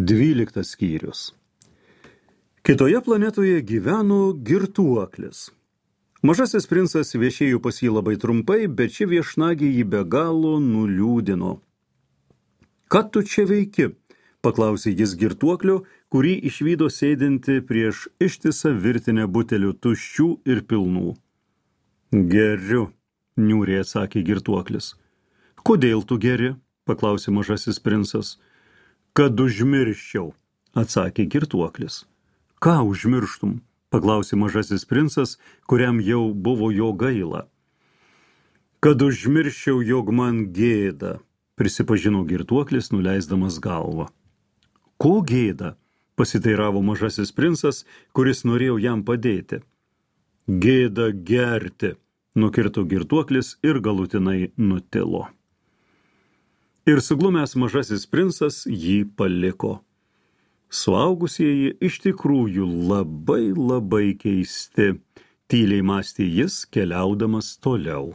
12 skyrius. Kitoje planetoje gyveno girtuoklis. Mažasis princas viešėjo pas jį labai trumpai, bet ši viešnagė jį be galo nuliūdino. Ką tu čia veiki? Paklausė jis girtuoklio, kurį išvydo sėdinti prieš ištisą virtinę butelių tuščių ir pilnų. Geriu, niūriai atsakė girtuoklis. Kodėl tu geri? Paklausė mažasis princas. Kad užmirščiau, atsakė girtuoklis. Ką užmirštum? Paklausė mažasis princas, kuriam jau buvo jo gaila. Kad užmirščiau, jog man gėda, prisipažino girtuoklis, nuleisdamas galvą. Ko gėda? Pasiteiravo mažasis princas, kuris norėjo jam padėti. Gėda gerti, nukirto girtuoklis ir galutinai nutilo. Ir suglumęs mažasis princas jį paliko. Suaugusieji iš tikrųjų labai keisti, tyliai mąstė jis, keliaudamas toliau.